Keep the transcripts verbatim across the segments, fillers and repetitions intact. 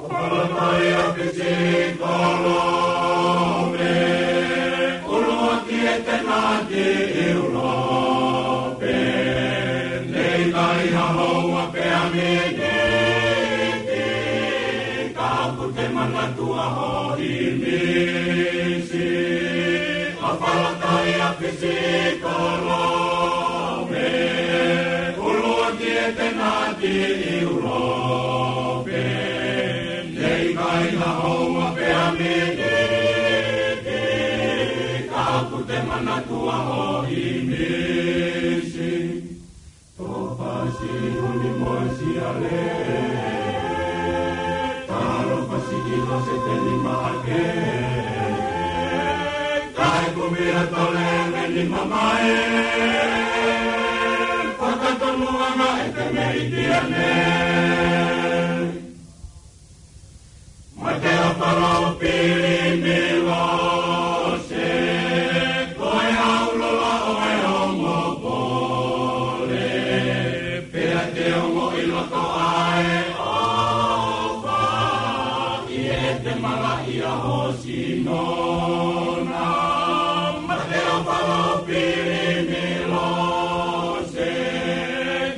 Falatai a pisi kolope, ʻuluaki e tenati ʻIulope, ne ʻikai ha houa pea miniti, ka ʻoku te manatua hoʻo ʻimisi. ʻO falatai a pisi kolope, ʻuluaki e tenati ʻIulope, ne ʻikai ha houa pea miniti, ka ʻoku te manatua hoʻo ʻimisi. Tō pasi uni mo e siale, talo pasi ki lo se teni maʻake, kae kumi ha tole meni mamae, fakatonu anga e te mei tiane. Mate ʻa Fālao Pilimilose, ko e ʻaulola ʻo e ongo pole, pea te ongoʻi loto ʻa e ʻofa, ʻi heʻete malaʻia ho sino na. Mate ʻa Fālao Pilimilose,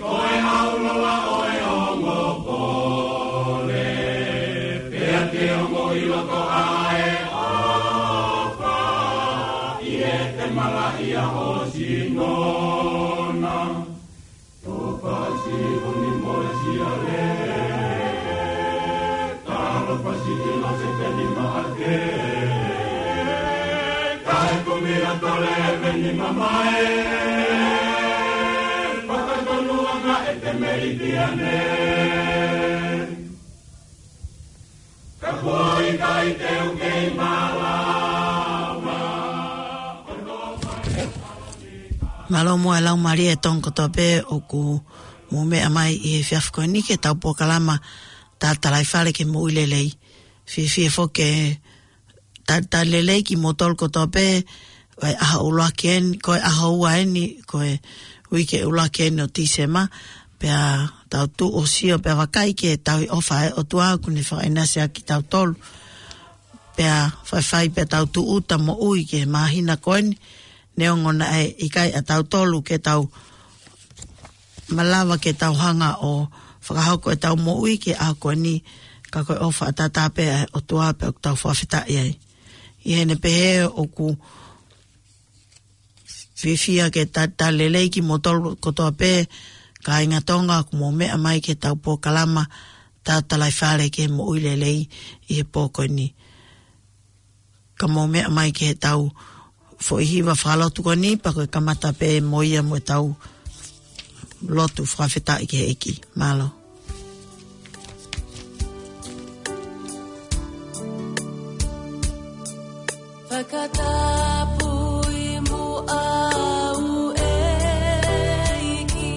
ko e ʻaulola ʻo e ongo pole, pea te ongoʻi loto ʻa e ʻofa, ʻi heʻete malaʻia ho sino na. Tō pasi uni mo e siale, talo pasi ki lo se teni maʻake, kae kumi ha tole meni mamae, fakatonu anga e te mei tiane. Ka kuo ʻikai te u kei malava. Mālō muʻa e Laumālie ʻo Tonga kotoa pē ʻoku mou meʻa mai ʻi he efiafi ko eni ki heʻetau polokalama Tatalaifale ki he Moʻui Lelei. Fiefia foki ke talitali lelei kimoutolu kotoa pē, ʻa e ʻaho ʻuluaki eni, ko e ʻaho ua eni, ko e uike ʻuluaki eni ʻo Tīsema, pea tau tuʻu ʻo sio pea vakai ki he tauhi ʻofa ʻa e ʻOtua ʻoku ne fakaʻinasi ʻaki kitautolu. Pea faifai pea tau tūʻuta moʻui ki he māhina ko eni, neongo naʻe ʻikai ʻatautolu ke tau malava ke tau hanga ʻo fakahoko ʻetau moʻui ki he ʻaho ko eni, ka ko e ʻofa ʻataʻatā pē ʻa e ʻOtua pea ʻoku tau fakafetaʻi ai. ʻI heʻene pehē ʻoku fiefia ke talitali lelei kimoutolu kotoa pē, kāinga Tonga ʻoku mou meʻa mai ki heʻetau polokalama Tatalaifale ki he Moʻui Lelei ʻi he pō ko eni. Ka mou meʻa mai ki heʻetau foʻi hiva fakalotu ko eni, pea ko e kamata pē mo ia mo ʻetau lotu fakafetaʻi ki he ʻEiki. Mālō. Fakatapui muʻa au ʻEiki,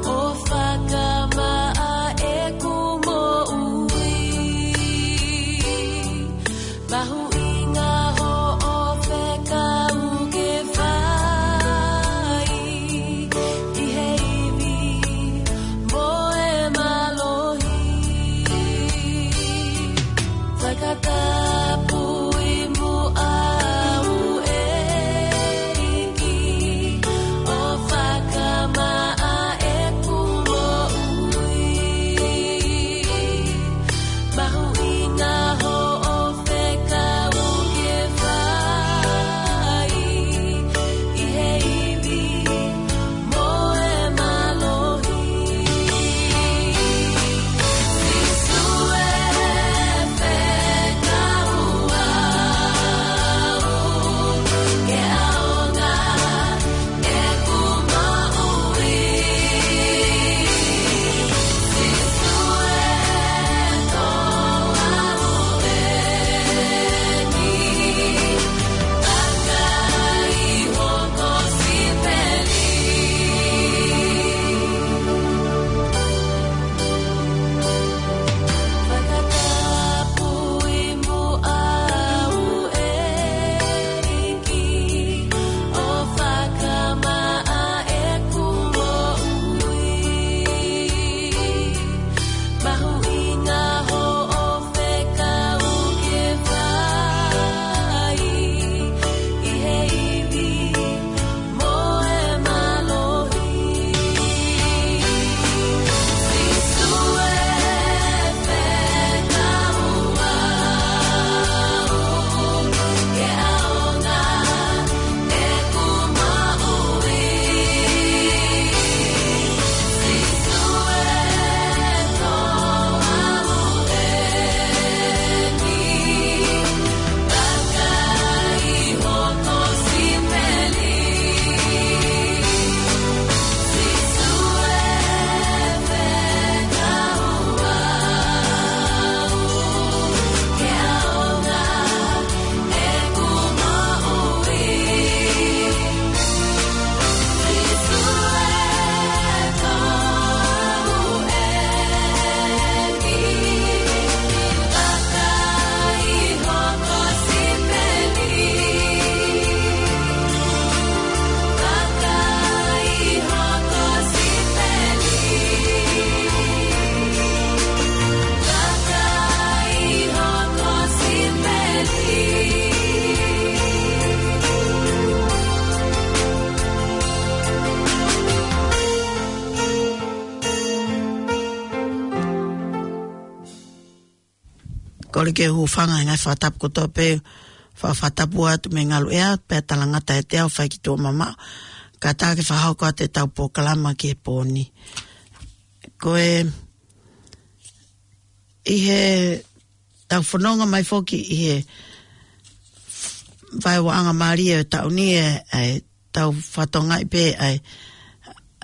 ʻo fakamaʻa ʻeku moʻui. Mahuʻinga hoʻo fekau ke fai ʻi he ivi mo e mālohi. Fakatapui muʻa au ʻOku ou hūfanga he ngaahi fakatapu kotoa pē, fa-, fakatapu atu mei he ngaluʻea, pea talangata ʻiate au fai ki tuʻa mamaʻo. Kātaki fakahoko atu ʻetau polokalama ki he pō ni. Ko e, ʻi heʻetau fononga mai foki ʻi he vaeuaʻanga mālie ʻo e taʻu ni ē, ʻa ʻetau fakatokangaʻi pē ʻa e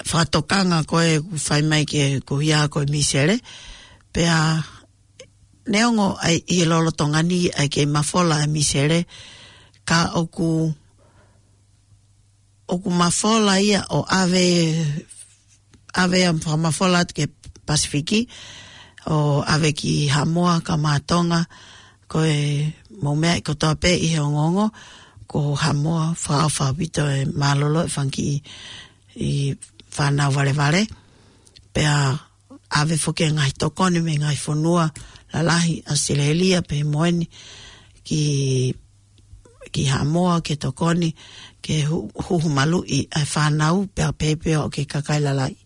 fakatokanga ko ē ʻoku fai mai ki he, ko ia ko e misele. Pea neongo ʻa e ʻi he lolotonga ni ʻa e kei mafola ʻa e misele, ka ʻoku, ʻoku mafola ia ʻo ʻave, ʻave ʻa e fakamafola atu ki he Pasifiki, ʻo ʻave ki Haʻamoa kae ʻumaʻā Tonga, ko e mou meaʻi kotoa pē ʻi he ongoongo, ko Haʻamoa fakaʻofa ʻaupito e mālōlō e fanga kiʻi fānau valevale. Pea ʻave foki e ngaahi tokoni mei he ngaahi fonua lalahi, ʻAositelēlia, pea mo eni ki, ki Haʻamoa ke tokoni, ke hu-, huhu maluʻi ʻa e fānau, pea pehē pē ʻo ki he kakai lalahi.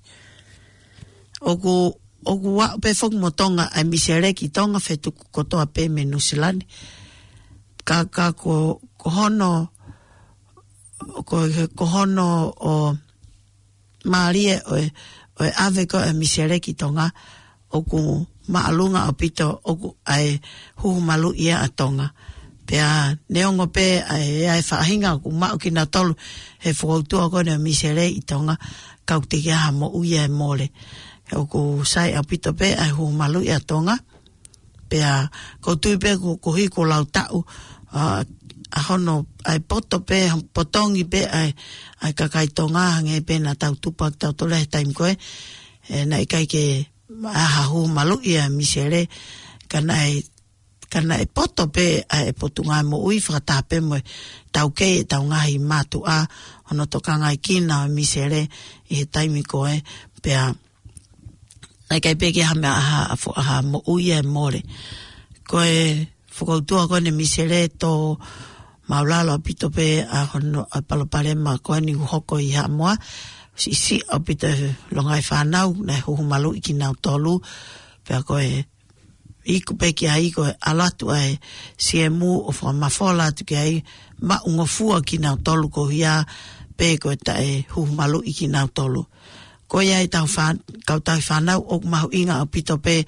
ʻOku, ʻoku aʻu pē foki mo Tonga ʻa e misele ki Tonga, fetuku kotoa pē mei Nuʻusila ni. Ka, ka ko, ko hono, ko, ko hono ʻo mālie ʻo e, ʻo e ʻave ko ē ʻa e misele ki Tonga, ʻoku māʻolunga ʻaupito ʻoku ʻa e huhu maluʻi ʻa Tonga. Pea neongo pē ʻa e, ʻa e faʻahinga ʻoku maʻu kinautolu he fokoutua ko eni ʻo e misele ʻi Tonga, ka ʻoku teʻeki ai ha moʻui ʻe mole. ʻOku sai ʻaupito pē ʻa e huhu maluʻi ʻa Tonga. Pea ʻoku ou tui pē ko, ko e hā ko e lau taʻu, ʻa, ʻa hono, ʻa e poto pē, potongi pē ʻa e, ʻa e kakai Tonga, hangē pē naʻa tau tupu ai kitautolu he taimi ko ē, ē, naʻe ʻikai ke ʻi ai ha huhu maluʻi ʻa e misele, ka naʻe, ka naʻe poto pē ʻa e Potungāue Moʻui fakataha pē mo e taukei ʻetau ngaahi mātuʻa, hono tokangaʻi kina ʻa e misele ʻi he taimi ko ē, pea naʻe ʻikai pē ke ʻi ai ha meʻa, ha, ha fo-, ha moʻui ʻe mole. Ko e fokoutua ko eni ʻo e misele, tō māʻulalo ʻaupito pē ʻa hono, ʻa e palopalema ko eni ʻoku hoko ʻi Haʻamoa, siʻisiʻi ʻaupito e longaʻi fānau, naʻe huhu maluʻi kinautolu, pea ko e iku pē ki ai ko e ʻalu atu ʻa e C M ʻo fakamafola atu ki ai, maʻungofua kinautolu ko ia pē ko e taʻe huhu maluʻi kinautolu. Ko ia ʻetau fā-, kau tauhi fānau ʻoku mahuʻinga ʻaupito pē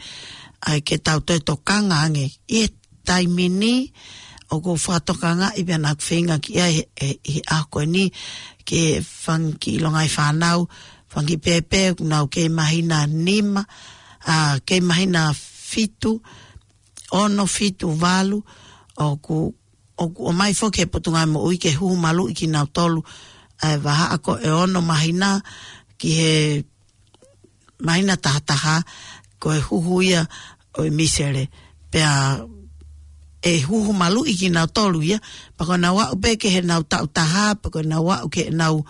ʻa e ke tau toe tokanga ange. ʻI he taimi ni ʻoku fakatokangaʻi pea naʻa ku feinga ki ai he, he, he ʻaho ko eni ki he fanga kiʻi longaʻi fānau, fanga kiʻi pēpē ʻoku nau kei māhina nima, ʻa, kei māhina fitu, ono, fitu, valu, ʻoku, ʻoku ʻomai foki he Potungāue Moʻui ke huhu maluʻi kinautolu, ʻa e vahaʻa ko ē ʻe ono māhina ki he māhina taha taha, ko e huhu ia ʻo e misele. Pea ʻe huhu maluʻi kinautolu ia, pea ko ʻenau aʻu pē ki heʻenau taʻu taha, pea ko ʻenau aʻu ki heʻenau,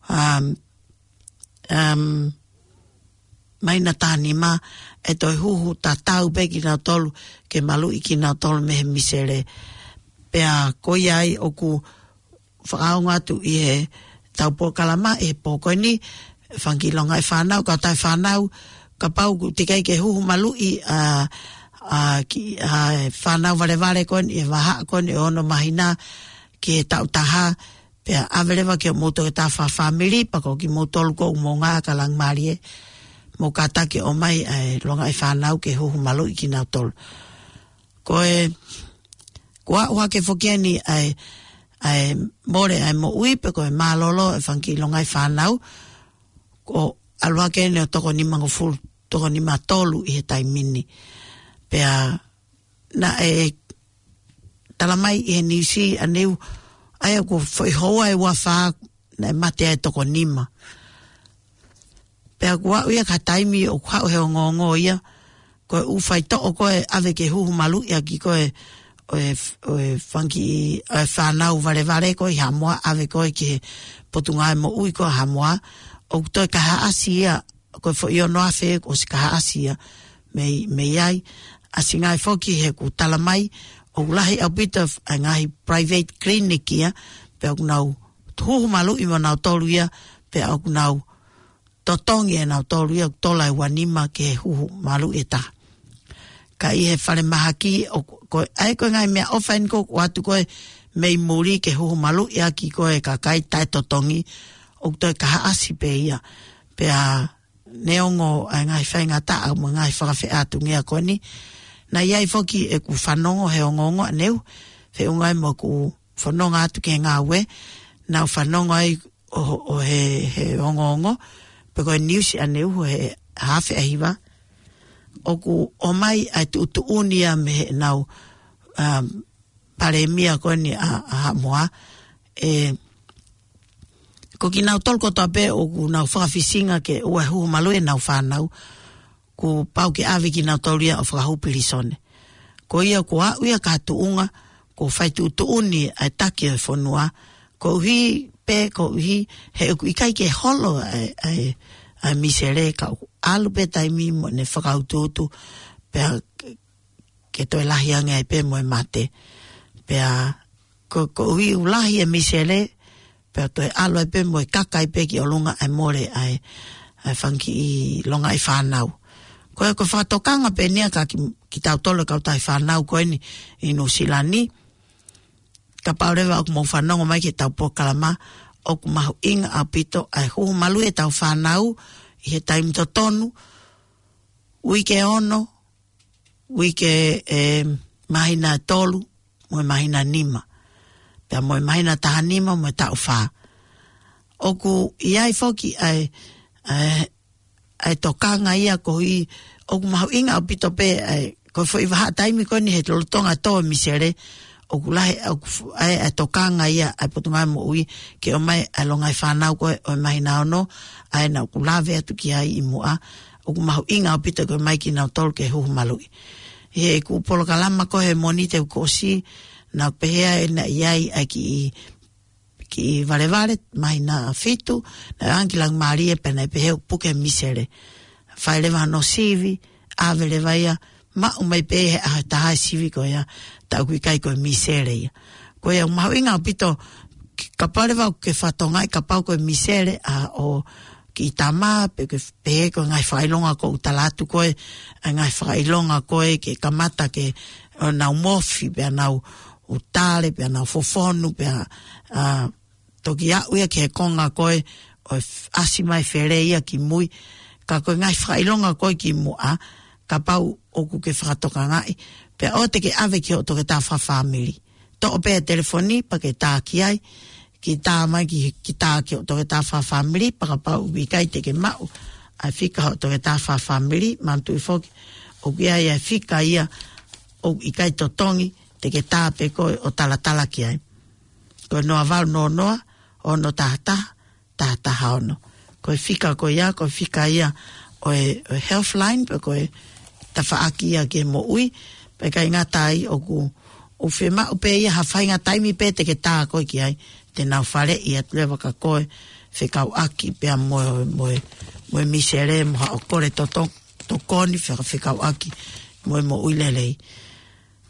um, um, māhina taha nima, ʻe toe huhu tatau pē kinautolu, ke maluʻi kinautolu mei he misele. Pea ko ia ai ʻoku fakaongo atu ʻi heʻetau polokalama he pō ko eni, fanga kiʻi longaʻi fānau, kau tauhi fānau, kapau ʻoku teʻeki ai ke huhu maluʻi ʻa, ʻa, kiʻi, ʻa e fānau valevale ko eni, ʻi he vahaʻa ko eni ʻe ono māhina ki he taʻu taha, pea ʻave leva ki hoʻomou toketā fakafāmili, pea ko kimoutolu ʻoku mou ngāue ʻa e kau langi mālie, mou kātaki ʻo ʻomai ʻa e longaʻi fānau ke huhu maluʻi kinautolu. Ko e, kuo aʻu hake foki eni ʻa e, ʻa e mole ʻa e moʻui pe ko e mālōlō e fanga kiʻi longaʻi fānau, kuo ʻalu hake eni ʻo toko nimangofulu, toko nima tolu ʻi he taimi ni. Pea naʻe tala mai ʻi he niusi ʻaneu, ʻa ia ʻoku foʻi houa ʻe ua fā naʻe mate ai e toko nima. Pea kuo aʻu ia ki ha taimi ʻoku haʻu he ongoongo ia, ko e ʻū faitoʻo ko ē ʻave ke huhu maluʻi ʻaki ko ē ʻo e, ʻo e fanga kiʻi, ʻo e fānau valevale ko ē ʻi Haʻamoa, ʻave ko ē ki he Potungāue Moʻui ko ē ʻa Haʻamoa, ʻoku toe kaihaʻasi ia, ko e foʻi ono afe kuo ʻosi kaihaʻasi ia mei, mei ai. ʻAsi ngaahi foki he ʻoku tala mai ʻoku lahi ʻaupito ʻa e ngaahi private clinic ia, pea ʻoku nau huhu maluʻi mo nautolu ia, pea ʻoku nau totongi ʻe nautolu ia, ʻoku tola ʻe ua nima ki he huhu maluʻi ʻe taha. ka ʻi he falemahaki, ʻo, ko, ʻa ia ko e ngaahi meʻaʻofa eni ʻoku ʻoatu ko ē mei muli ke huhu maluʻi ʻaki ko ē kakai taʻetotongi, ʻoku toe kahaʻasi pē ia. Pea neongo ʻa e ngaahi faingataʻa mo e ngaahi fakafeʻātungia ko eni, naʻe ʻi ai foki ʻeku fanongo he ongoongo ʻaneuhu, feʻunga ai mo ʻeku fononga atu ki he ngāue, naʻá ku fanongo ai ʻo, ʻo he, he ongoongo, pe ko e niusi ʻaneuhu he haafe ʻa hiva, ʻoku ʻomai ʻa e tuʻutuʻuni ia mei heʻenau, um, palēmia ko eni ʻa, ʻa Haʻamoa, ē, ko kinautolu kotoa pē ʻoku nau fakafisinga ke ʻoua ʻe huhu maluʻi ʻenau fānau, kuo pau ke ʻave kinautolu ia ʻo fakahū pilīsone. Ko ia kuo aʻu ia ki ha tuʻunga, kuo fai tuʻutuʻuni ʻa e taki ʻo e fonua, koeʻuhi pē, koeʻuhi he ʻoku ʻikai ke holo ʻa e, ʻa e, ʻa e misele ka ʻoku ʻalu pē taimi mo ʻene fakautuutu, pea ke toe lahi ange ai pē mo e mate. Pea ko, koeʻuhi ʻoku lahi e misele, pea toe ʻalu ai pē mo e kaka ai pē ki ʻolunga ʻa e mole ʻa e, ʻa e fanga kiʻi longaʻi fānau. Ko e, ko e fakatokanga pē eni ia kia ki, kitautolu e kautaha fānau ko eni ʻi Nuʻusila ni, kapau leva ʻoku mou fanongo mai ki heʻetau polokalama, ʻoku mahuʻinga ʻaupito ʻa e huhu maluʻi ʻetau fānau ʻi he taimi totonu, uike ono, uike, ē, māhina ʻe tolu, mo e māhina ʻe nima. Pea mo e māhina ʻe taha nima, mo e taʻu fā. ʻOku ʻi ai foki ʻa e, ʻa e, ʻa e tokanga ia koeʻuhi, ʻoku mahuʻinga ʻaupito pē ʻa e, ko e foʻi vahaʻa taimi ko eni he lolotonga tō e misele, ʻoku lahi, ʻoku f-, ʻa e, ʻa e tokanga ia ʻa e Potungāue Moʻui, ke ʻomai ʻa e longaʻi fānau ko ē ʻo e māhina ono, ʻa ē naʻá ku lave atu ki ai ʻi muʻa, ʻoku mahuʻinga ʻaupito ke ʻomai kinautolu ke huhu maluʻi. ʻI heʻeku polokalama ko ē he Mōnite kuo ʻosi, naʻá ku pehē ʻe naʻe ʻi ai ʻa e kiʻi, kiʻi valevale, māhina ʻe fitu, naʻe ʻange ki Laumālie pea naʻe pehē ʻoku puke e misele. Fai leva hono sivi, ʻave leva ia, maʻu mai pē he ʻaho ʻe taha e sivi ko ia, tā ʻoku ʻikai ko e misele ia. Ko ia ʻoku mahuʻinga ʻaupito, kapau leva ʻoku ke fakatokangaʻi kapau ko e misele ʻa ho kiʻi tama, pe ke pehē ko e ngaahi fakaʻilonga ʻoku tala atu ko ē, ʻa e ngaahi fakaʻilonga ko ē ke kamata ke, ʻo nau mofi, pea nau ʻū tale, pea nau fofonu, pea, ā, toki aʻu ia ki he konga ko ē ʻo e f-, ʻasi mai fele ia ki mui. Ka ko e ngaahi fakaʻilonga ko ē ki muʻa, kapau ʻoku ke fakatokangaʻi, pea ʻoua te ke ʻave ki hoʻo toketā fakafāmili. Toʻo pē e telefoni pea ke tā ki ai, ke tā mai ki, ke tā ki hoʻo toketā fakafāmili, pea kapau ʻoku ʻikai te ke maʻu ʻa e fika hoʻo toketā fakafāmili, manatuʻi foki, ʻoku ʻi ai ʻa e fika ia ʻoku ʻikai totongi, te ke tā pē koe ʻo talatala ki ai. Ko e noa valu noa noa, ono taha taha, taha taha ono. Ko e fika ko ia, ko e fika ia ʻo e, ʻo e Healthline, pe ko e tafaʻaki ia ki he moʻui, pea ʻikai ngata ai ʻoku, ʻoku fiemaʻu pē ia ha faʻahinga taimi pē te ke tā koe ki ai, te nau faleʻi atu leva kia koe, fekauʻaki pea mo, mo, mo e misele, mo haʻo kole toto-, tokoni, feka-, fekauʻaki mo e moʻui lelei.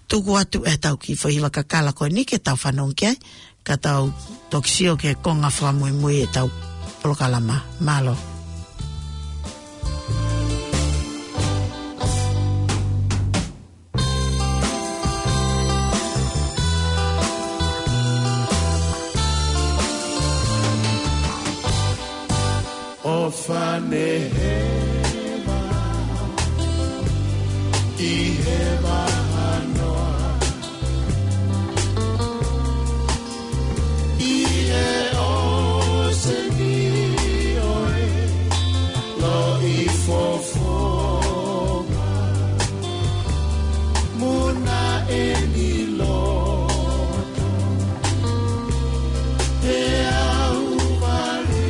Tuku atu ʻetau kiʻi foʻi hiva kakala ko eni ke tau fanongo ki ai, ka tau toki sio ki he konga fakamuimui ʻetau polokalama. Mālō. ʻOfa ne hema ʻi he vahanoa, ʻi he ʻōseni ʻo e loʻi fofonga, muna ʻeni loto he ʻauvale.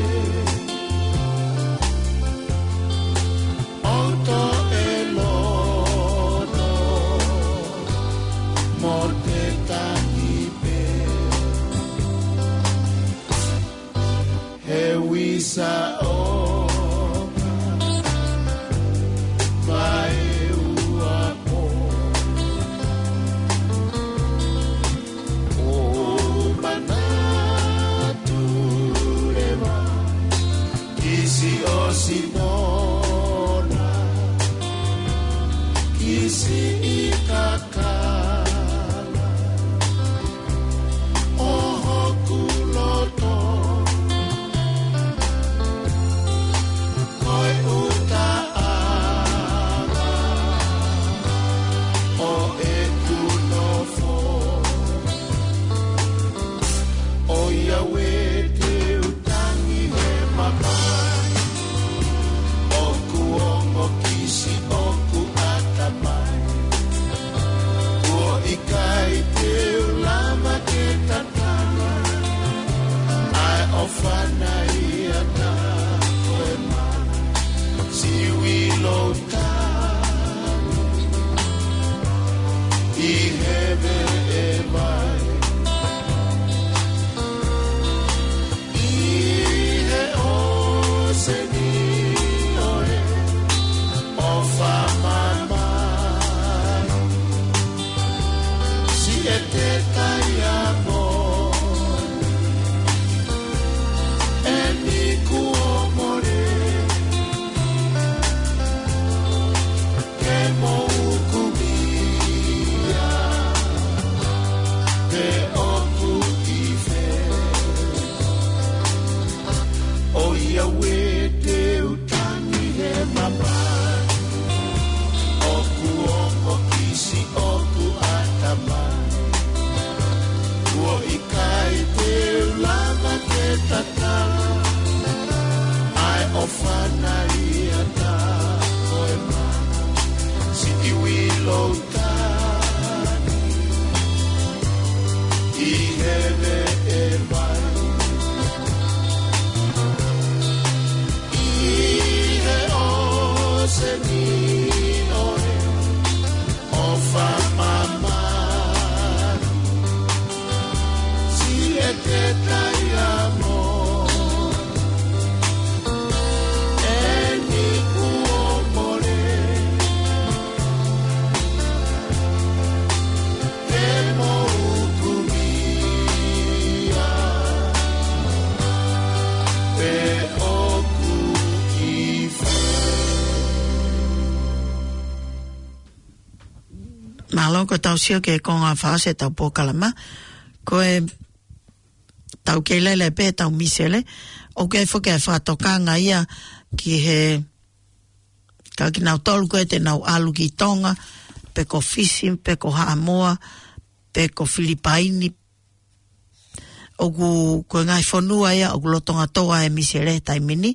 ʻI he veʻe vai, ʻi he ʻōseni ʻo e ʻofa mamahi, siʻete taiamoni, ʻeni kuo mole, ke mou kumi ia, pe ʻoku ʻi fē. ʻOiauē, te u tangi he mamahi, ʻoku ongo kisi ʻoku ʻatamai. Kuo ʻikai te u lava ke tatala ʻa e ʻofa naʻe ʻiate koe maʻa siʻi Uilou Tani. ʻI he veʻe vai, ʻi he ʻōseni ʻo e ʻofa mamahi, siʻete taiamoni, ʻeni kuo mole, ke mou kumi ia, pe ʻoku ʻi fē. Mālō, ko ʻetau sio ki he konga fakaʻosi ʻetau polokalama. Ko ʻetau kei lele pē ʻetau misele, ʻoku ʻi ai foki e fakatokanga ia ki he, ka kinautolu ko ē te nau ʻalu ki Tonga, pe ko Fisi, pe ko Haʻamoa, pe ko Filipaini, ʻoku, ko e ngaahi fonua ia ʻoku lolotonga tō ai e misele he taimi ni,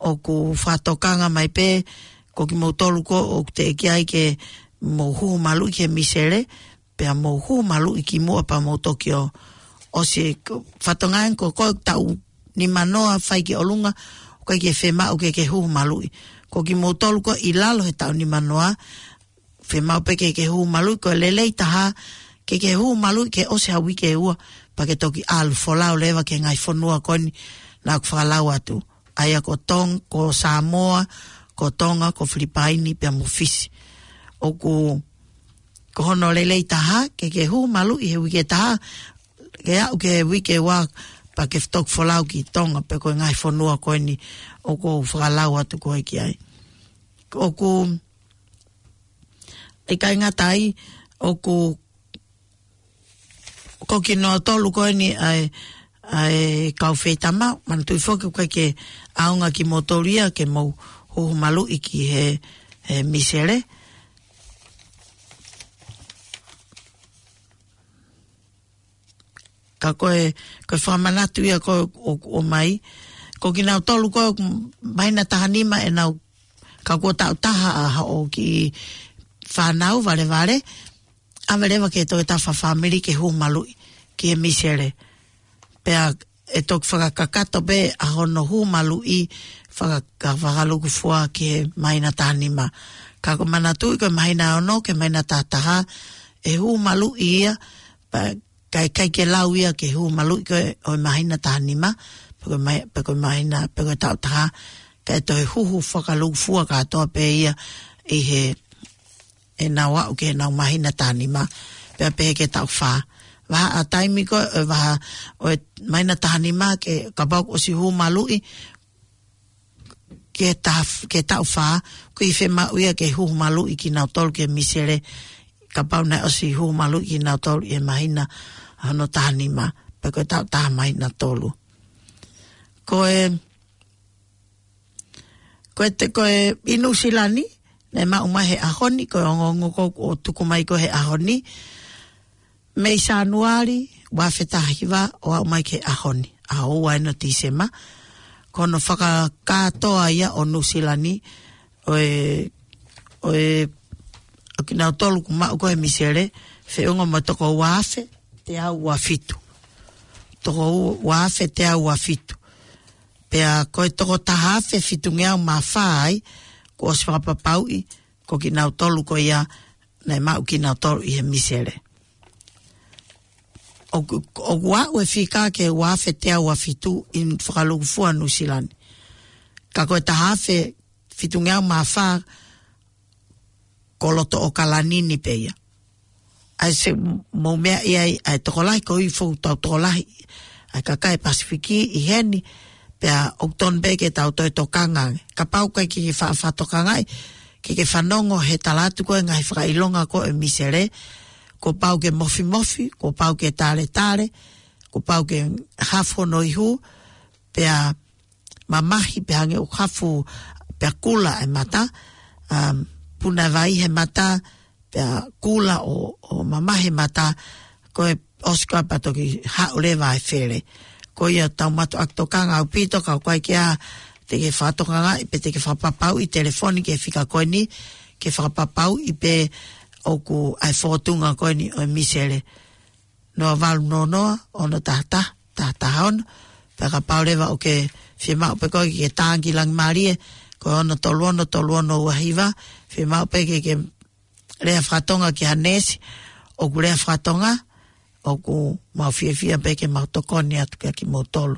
ʻoku fakatokanga mai pē, ko kimoutolu ko ē ʻoku teʻeki ai ke mou huhu maluʻi ki he misele, pea mou huhu maluʻi kimuʻa pea mou toki ō. ʻOsi ko e fakatokanga ko ē, ko e taʻu nimanoa fai ki ʻolunga, ʻoku ʻikai ke fiemaʻu ke ke huhu maluʻi. Ko kimoutolu ko ē ʻi lalo he taʻu nimanoa, fiemaʻu pē ke ke huhu maluʻi, ko e lelei taha ke ke huhu maluʻi ke ʻosi ha uike ʻe ua, pea ke toki ʻalu folau leva ki he ngaahi fonua ko eni naʻa ku fakalau atu. ʻA ia ko Tong-, ko Samoa, ko Tonga, ko Filipaini, pea mo Fisi. ʻOku, ko hono lelei taha ke ke huhu maluʻi he uike ʻe taha, ke aʻu ki he uike ʻe ua, pea ke toki folau ki Tonga, pe ko e ngaahi fonua ko eni ʻoku ou fakalau atu ko ē ki ai. ʻOku, ʻikai ngata ai, ʻoku, ko kinautolu ko eni ʻa e, ʻa e kau feitama, manatuʻi foki ʻoku ʻikai ke ʻaonga kimoutolu ia ke mou huhu maluʻi ki he, he misele. Ka ko e, ko e fakamanatu ia ko ē ʻo, ʻo mai. Ko kinautolu ko ē māhina taha nima ʻenau, ka kuo taʻu taha ʻa hoʻo kiʻi fānau valevale, ʻave leva ki he toketā fakafāmili ke huhu maluʻi ki he misele. Pea ʻe toki fakakakato pē ʻa hono huhu maluʻi faka-, ka fakalūkufua ki he māhina taha nima. Ka ko e manatuʻi ko e māhina ono ki he māhina taha taha, ʻe huhu maluʻi ia, pea ka ʻikai ke lau ia ke huhu maluʻi ko ē ʻo e māhina taha nima, pe ko e mai-, pe ko e māhina, pe ko e taʻu taha, ka ʻe toe huhu fakalūkufua kātoa pē ia ʻi he, ʻenau aʻu ki heʻenau māhina taha nima, pea pehē ki he taʻu fā. Vahaʻa taimi ko ē, ʻo e vahaʻa ʻo e māhina taha nima ke kapau ʻosi huhu maluʻi, ki he taha f-, ki he taʻu fā, ʻoku ʻikai fiemaʻu ia ke huhu maluʻi kinautolu ki he misele, kapau naʻe ʻosi huhu maluʻi kinautolu ʻi he māhina hono taha nima, pe ko e taʻu taha māhina tolu. Ko e, ko e te, ko e ʻi Nuʻusila ni, naʻe maʻu mai he ʻaho ni, ko e ongoongo ko ē ʻoku tuku mai ko ē he ʻaho ni, mei Sānuali, ua afe taha hiva, ʻo aʻu mai ki he ʻaho ni, ʻaho ua eni ʻo Tīsema. Ko hono fakakātoa ia ʻo Nuʻusila ni, ʻo e, ʻo e, ʻo kinautolu kuo maʻu ko ē he misele, feʻunga mo e toko ua afe, teau ua fitu. Toko u-, ua afe, teau ua fitu. Pea ko e toko taha afe fitungeau mā fā ai, kuo ʻosi fakapapauʻi, ko kinautolu ko ia naʻe maʻu kinautolu ʻi he misele. ʻOku, ʻoku aʻu e fika ki he ua afe teau uafitu ʻi he fakalūkufua Nuʻusila ni. Ka ko e taha afe fitungeau mā fā ko loto ʻAokalani ni pē ia. ʻAi se mou meaʻi ai, ʻa e tokolahi ko e foʻi tau tokolahi ʻa e kakai Pasifiki ʻi heni, pea ʻoku tonu pē ke tau toe tokanga ange. Kapau ʻoku ʻikai ke ke fa-, fakatokangaʻi, ke ke fanongo he tala atu ko e ngaahi fakaʻilonga ko e misele, kuo pau ke mofimofi, kuo pau ke taletale, kuo pau ke hafo no ihu, pea mamahi pē hangē ʻoku hafo pea kula e mata, um, puna vai he mata, pea kula ʻo, ʻo mamahi e mata, ko e ʻosi ko ia pea toki haʻu leva e fele. Ko ia tau mātuʻaki tokanga ʻaupito, ka ʻoku ʻikai ke ʻi ai ha, te ke fakatokangaʻi pe te ke fakapapauʻi telefoni ki he fika ko eni, ke fakapapauʻi pē ʻoku ʻi ai e fōtunga ko eni ʻo e misele. Noa valu noa noa, ono taha taha, taha taha ono. Pea kapau leva ʻoku ke fiemaʻu pē koe ke ke tānaki ki Langimālie, ko e ono tolu ono tolu ono ua hiva, fiemaʻu pē ke ke lea fakatonga ki ha neesi ʻoku lea fakatonga, ʻoku mau fiefia pē ke mau tokoni atu kia kimoutolu,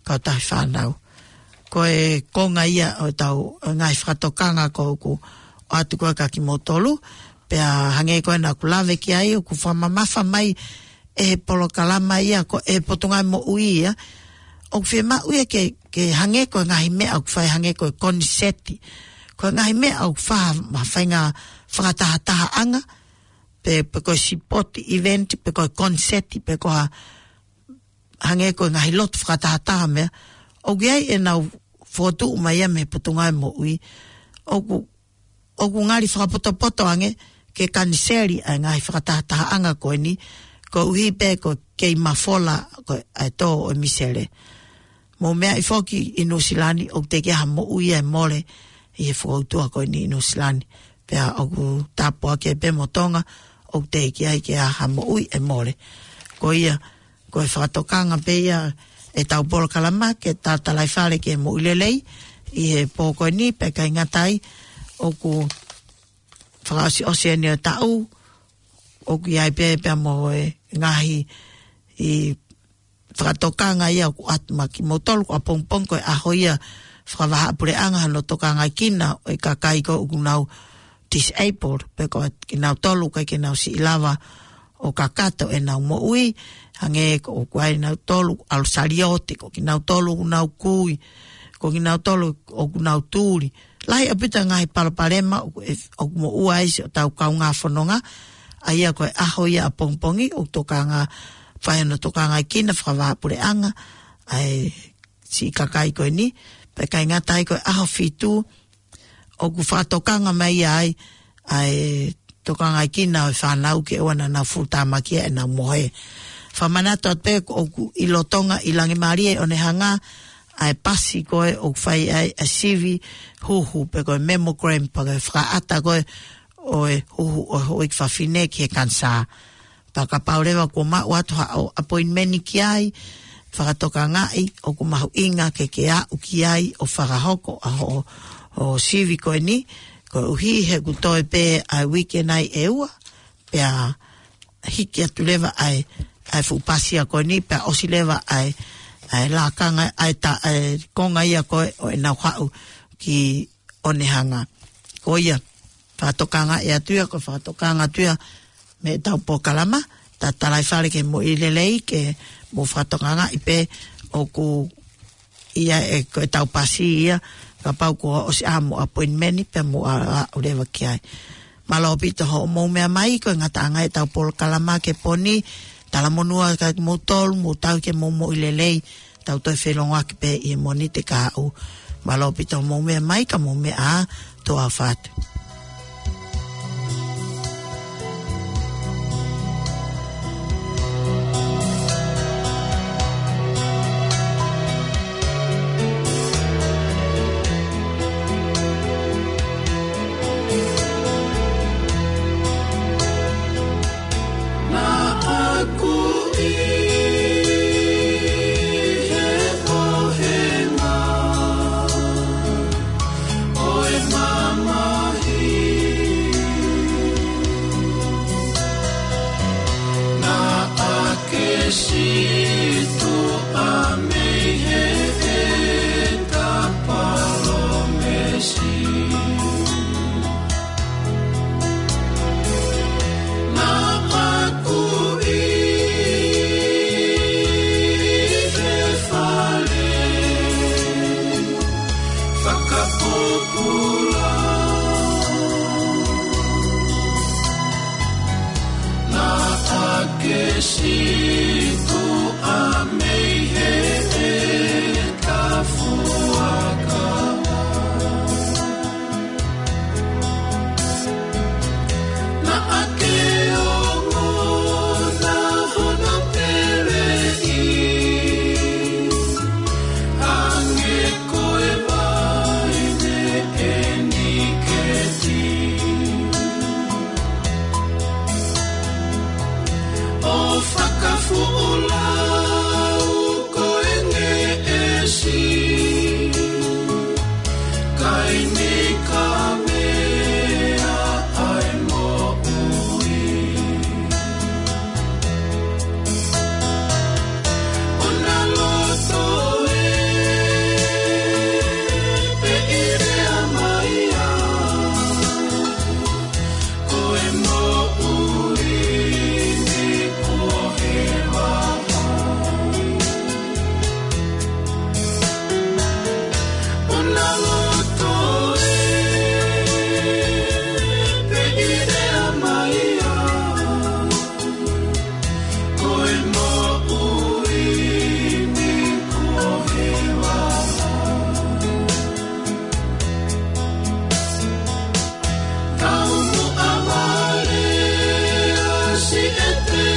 kautaha fānau. Ko e konga ia ʻo ʻetau ngaahi fakatokanga ko ʻoku ʻoatu ko ē kia kimoutolu, pea hangē ko ē naʻa ku lave ki ai, ʻoku fakamamafa mai ʻe he polokalama ia ko e Potungāue Moʻui ia. ʻOku fiemaʻu ia ke, ke hangē ko e ngaahi meʻa ʻoku fai hangē ko e koniseti. Ko e ngaahi meʻa ʻoku fa-, ma fainga fakatahatahaʻanga, pe, pe ko e sipoti event, pe ko e koniseti, pe ko ha hangē ko e ngaahi lotu fakatahataha meʻa. ʻOku ʻi ai ʻenau fokotuʻu mai ia mei he Potungāue Moʻui. ʻOku, ʻoku ngali fakapotopoto ange ke kaniseli ʻa e ngaahi fakatahatahaʻanga ko eni, koeʻuhi pē ko e kei mafola ko ē ʻa e tō ʻo e misele. Mou meaʻi foki ʻi Nuʻusila ni, ʻoku teʻeki ai ha moʻui ʻe mole ʻi he fokoutua ko eni ʻi Nuʻusila ni. Pea ʻoku tāpuaki pē mo Tonga, ʻoku teʻeki ai ke ʻi ai ha moʻui ʻe mole. Ko ia, ko e fakatokanga pē ia ʻetau polokalama ke tatalaifale ki he moʻui lelei ʻi he pō ko eni, pea ʻikai ngata ai, ʻoku fakaʻosiʻosi eni ʻo e taʻu, ʻoku ʻi ai pē pea mo e ngaahi ʻi fakatokanga ia ʻoku ʻoatu maʻa kimoutolu, ko ʻapongipongi ko e ʻaho ia fakavahaʻapuleʻanga hono tokangaekina ʻo e kakai ko ē ʻoku nau disabled, pe ko kinautolu ʻoku ʻikai ke nau siʻi lava ʻo kakato ʻenau moʻui, hangē ko ʻoku ʻi ai nautolu ʻalu saliote, ko kinautolu ʻoku nau kui, ko kinautolu ʻoku nau tuli. Lahi ʻaupito ngaahi palopalema ʻoku, ʻoku moʻua ai siʻotau kaungā fononga, ʻa ia ko e ʻaho ia ʻapongipongi ʻoku tokanga, fai hono tokangaekina fakavahaʻapuleʻanga ʻa e siʻi kakai ko eni, pea ʻikai ngata ai ko e ʻaho fitu, ʻoku fakatokanga mai ai ʻa e tokangaekina ʻo e fānau ke ʻoua naʻa nau fuʻu tāmaki ʻenau mohe. Fakamanatu atu pē ʻoku ʻi Lolotonga ʻi Langimālie ʻi ʻOnehanga ʻa e pasi ko ē ʻoku fai ai ʻa e sivi huhu pe ko e mammogram pe ko e fakaʻata ko ē ʻo e huhu ʻo e houʻeiki fafine ki he kanisā. Pea kapau leva kuo maʻu atu haʻo appointment ki ai, fakatokangaʻi ʻoku mahuʻinga ke ke aʻu ki ai ʻo fakahoko ʻa hoʻo, hoʻo sivi ko eni, koeʻuhi he ʻoku toe pē ʻa e uike nai ʻe ua, pea hiki atu leva ʻa e, ʻa e fuʻu pasi ia ko eni, pea ʻosi leva ʻa e, ʻa e lakanga, ʻa e ta-, ʻa e konga ia ko ē ʻo ʻenau haʻu ki ʻOnehanga. Ko ia, fakatokangaʻi atu ia, ko e fakatokanga atu ia mei heʻetau polokalama, tatalaifale ki he moʻui lelei, ke mou fakatokangaʻi pē ʻoku ʻi ai ʻe, ko ʻetau pasi ia, kapau kuo ʻosi ʻa hoʻomou appointment, pea mou ʻa, ʻa, ʻalu leva ki ai. Mālō ʻaupito hoʻomou meʻa mai, ko e ngataʻanga ʻetau polokalama ki he pō ni, talamonū atu kia kimoutolu, mou tauhi ke mou moʻui lelei, tau toe feʻiloaki pē ʻi he Mōnite kahaʻu. Mālō ʻaupito hoʻomou meʻa mai, ka mou meʻa ā, tō ʻofa atu. Sītuʻa mei heʻeta palōmesi. Naʻa ku ʻi he fale fakapōpula. Naʻa ke sītuʻa mei heʻeta fuakava. Naʻa ke ongona hono peleʻi, hangē ko e vaine ʻeniketi. ʻO fakafuʻu lau ko e ngeʻesi, kae ʻikai ke meʻa ai moʻui. ʻOna loto ē, pe ʻi lea mai ā, ko e moʻui ni kuo heva. ʻOna loto ē, pe ʻi lea mai ā, ko e moʻui ni kuo heva. Taumuʻa vale ʻa siʻete